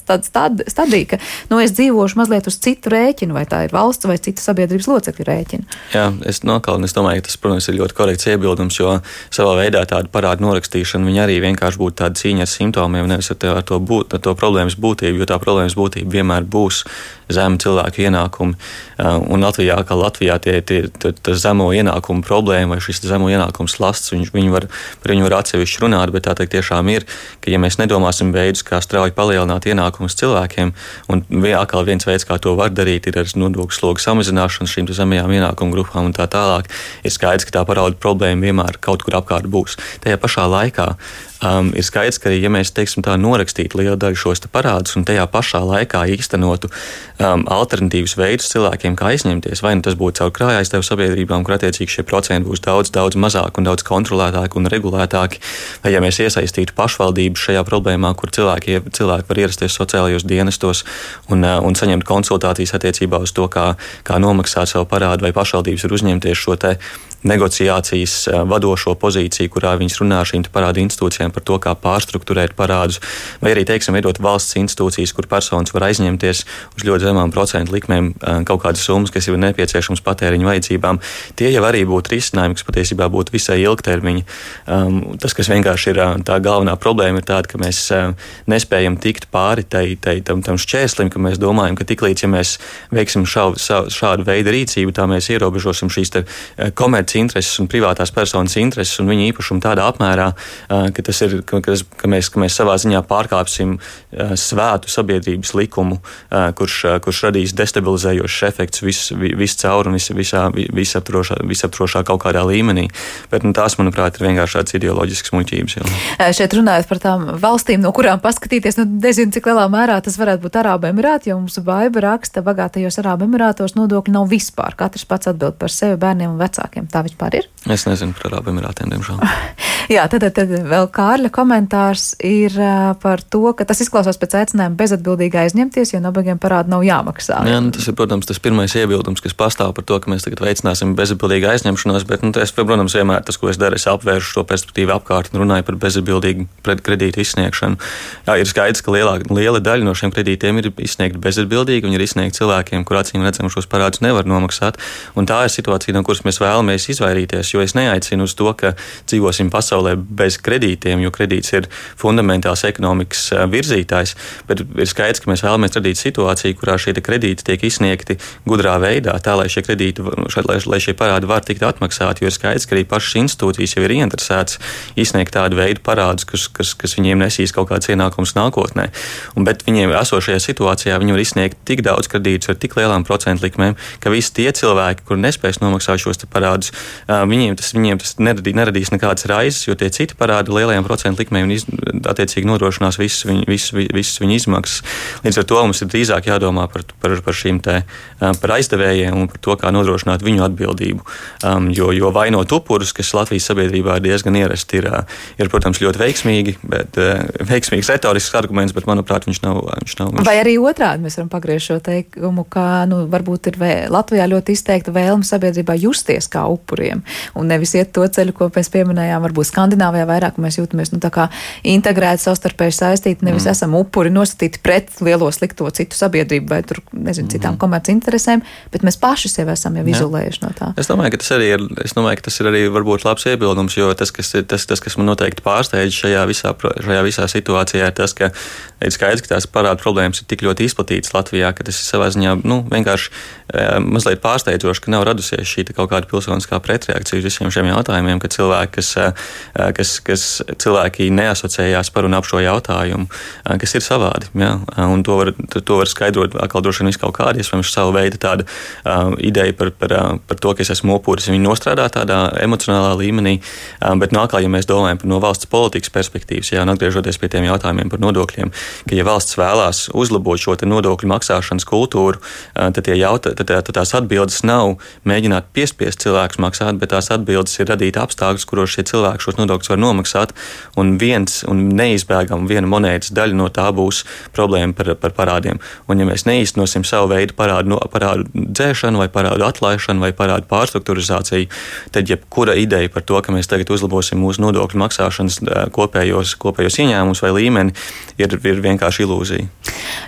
tāds stadija, ka, es dzīvošu mazliet uz citu rēķinu, vai tā ir valsts vai cita sabiedrības locekļu rēķinu. Jā, es domāju, ka tas, protams, ir ļoti korekts iebildums, jo savā veidā tāda parādu norakstīšana, viņa arī vienkārši būtu tāda cīņa ar simptomiem, nevis ar to problēmas būtību, jo tā problēmas būtība vienmēr būs zema cilvēku ienākumi. Un Latvijā tā zemo ienākumu problēma vai šis zemo ienākumu slasts, par viņu var atsevišķi runāt, bet tā tiešām ir, ka ja mēs nedomāsim veidus, kā strauji palielināt ienākumus cilvēkiem, un atkal viens veids, kā to var darīt, ir ar nodokļu slogu samazināšanu šīm zemajām ienākumu grupām un tā tālāk, ir skaidrs, ka tā parādu problēma vienmēr kaut kur apkārt būs. Tajā pašā laikā ir skaidrs, ka ja mēs, teiksim tā, norakstītu lielu daļu šos parādus un tajā pašā laikā īstenotu alternatīvas veidus cilvēkiem, kā aizņemties, vai tas būtu caur krājaizdevuma sabiedrībām, kur attiecīgi šie procenti būs daudz mazāk un daudz kontrolētāki un regulētāki, vai ja mēs iesaistītu pašvaldības šajā problēmā, kur cilvēki var ierasties sociālajos dienestos un saņemt konsultācijas attiecībā uz to, kā nomaksāt savu parādu, vai pašvaldības var uzņemties šo negociācijas vadošo pozīciju, kurā viņas runā ar šīm parādu institūcijām par to, kā pārstrukturēt parādus, vai arī, teiksim, veidot valsts institūcijas, kur personas var aizņemties uz ļoti zemām procentu likmēm kaut kādas summas, kas ir nepieciešams patēriņu vajadzībām. Tie jau arī būtu risinājumi, kas patiesībā būtu visai ilgtermiņa. Tas, kas vienkārši ir tā galvenā problēma, ir tāda, ka mēs nespējam tikt pāri tam šķērslim, ka mēs domājam, ka tiklīdz, ja mēs veiksim šādu veidu rīcību, tā mēs ierobežosim šīs komerci intereses un privātās personas intereses un viņa īpašumu tādā apmērā, ka mēs savā ziņā pārkāpsim svētu sabiedrības likumu, kurš radīs destabilizējošs efekts viscaur un visaptrošā kaut kādā līmenī. Bet tās, manuprāt, ir vienkārši tāds ideoloģisks muļķības. Šeit runājot par tām valstīm, no kurām paskatīties, nezinu, cik lielā mērā tas varētu būt Arābu Emirāti, jo mums Baiba raksta, bagātajos Arābu Emirātos nodokļi nav vispār. Katrs pats atbild par sevi, bērniem un vecākiem. Tā vispār ir? Es nezinu par Arābu Emirātiem, diemžēl. Jā, tad vēl Kārļa komentārs ir par to, ka tas izklausās pēc aicinājuma bezatbildīgi aizņemties, jo nabagiem parādi nav jāmaksā. Jā, tas ir, protams, tas pirmais iebildums, kas pastāv par to, ka mēs tagad veicināsim bezatbildīgu aizņemšanos, bet, es, protams, vienmēr tas, ko es daru, es apvēršu šo perspektīvu apkārt un runāju par bezatbildīgu kredītu izsniegšanu. Jā, ir skaidrs, ka liela daļa no šiem kredītiem ir izsniegti bezatbildīgi un ir izsniegti cilvēkiem, kur acīm redzam šos parādus nevar nomaksāt. Un tā ir situācija, no kuras mēs vēlamies izvairīties, jo es neaicinu uz to, ka dzīvosim pasaulē bez kredītiem, jo kredīts ir fundamentāls ekonomikas virzītājs, bet ir skaidrs, ka mēs vēlamies radīt situāciju, kurā šie kredīti tiek izsniegti gudrā veidā, tā lai šie parādi var tikt atmaksāti, jo ir skaidrs, ka arī pašas institūcijas jau ir ieinteresētas izsniegt tādu veidu parādus, kas viņiem nesīs kaut kāds ienākums nākotnē. Bet viņiem esošajā situācijā viņi var izsniegt tik daudz kredītus ar tik lielām procentu likmēm, ka visi tie cilvēki, kur nespēs nomaksāt šos parādus, viņiem tas neradīs nekādas raizes, jo tie citi parādi lielajām procentu likmei un attiecīgi nodrošinās visas viņa izmaksas. Līdz ar to mums ir drīzāk jādomā par šīm te, par aizdevējiem un par to, kā nodrošināt viņu atbildību. Jo vainot upurus, kas Latvijas sabiedrībā ir diezgan ierasti, ir protams, ļoti veiksmīgs retorisks arguments, bet, manuprāt, viņš nav. Vai arī otrādi mēs varam pagriezt šo teikumu, ka varbūt ir Latvijā ļoti izteikta vēlme sabiedrībā justies kā upuriem un nevis iet to ceļu, ko mēs pieminējām, varbūt Skandināvijā vairāk mēs jūtamies tā kā integrēti, savstarpēji saistīti, nevis esam upuri nostatīti pret lielo slikto citu sabiedrību vai tur, citām komerci interesēm, bet mēs paši sev esam jau izolējuši no tā. Es domāju, ka tas ir arī varbūt labs iebildums, jo tas, kas man noteikti pārsteidz šajā visā situācijā, ir tas, ka ir skaidrs, ka tās parāda problēmas ir tik ļoti izplatītas Latvijā, ka tas ir savā ziņā, vienkārši mazliet pārsteidzoši, ka nav radusies šī kaut kāda pilsoniskā pretreakcija uz visiem šiem jautājumiem, ka cilvēki neasociējās par un ap šo jautājumu, kas ir savādi. Ja? Un to var skaidrot atkal droši vien kaut kādi, iespējams, savu veidu tāda ideja par to, ka es esmu upuris. Viņi nostrādā tādā emocionālā līmenī, bet atkal, ja mēs domājam no valsts politikas perspektīvas, un atgriežoties pie tiem jautājumiem par nodokļiem, ka ja valsts vēlās uzlabot šo nodokļu maksāšanas kultūru, tad tās atbildes nav mēģināt piespiest cilvēkus maksāt, bet tās atbildes ir radīt apstākļus, kuros šie cilvēki šos nodokļus var nomaksāt, un neizbēgam viena monētas daļa no tā būs problēma par parādiem. Un ja mēs neīstenosim savu veidu parādu dzēšanu, vai parādu atlaišanu, vai parādu pārstrukturizāciju, tad jebkura ideja par to, ka mēs tagad uzlabosim mūsu nodokļu maksāšanas kopējos ieņēmumus vai līmeni, ir vienkārši ilūzija.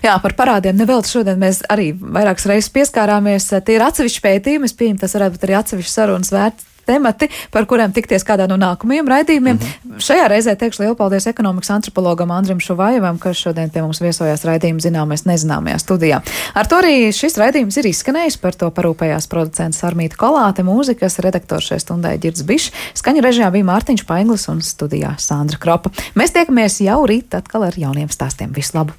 Jā, par parādiem nevelti šodien mēs arī vairākas reizes pieskārāmies. Tie ir atsevišķi pētījumi, es pieņemu, tas varētu būt arī atsevišķi sarunas vērts temati, par kuriem tikties kādā no nākamajiem raidījumiem. Šajā reizē teikšu lielu paldies ekonomikas antropologam Andrim Šuvajevam, kas šodien pie mums viesojās raidījuma Zināmais nezināmajā studijā. Ar to arī šis raidījums ir izskanējis, par to parūpējās producents Armīta Kolāte, mūzikas redaktors šai stundai Ģirds Bišs, skaņu režijā bija Mārtiņš Painglis un studijā Sandra Kropa. Mēs tiekamies jau rīt atkal ar jauniem stāstiem. Visu labu!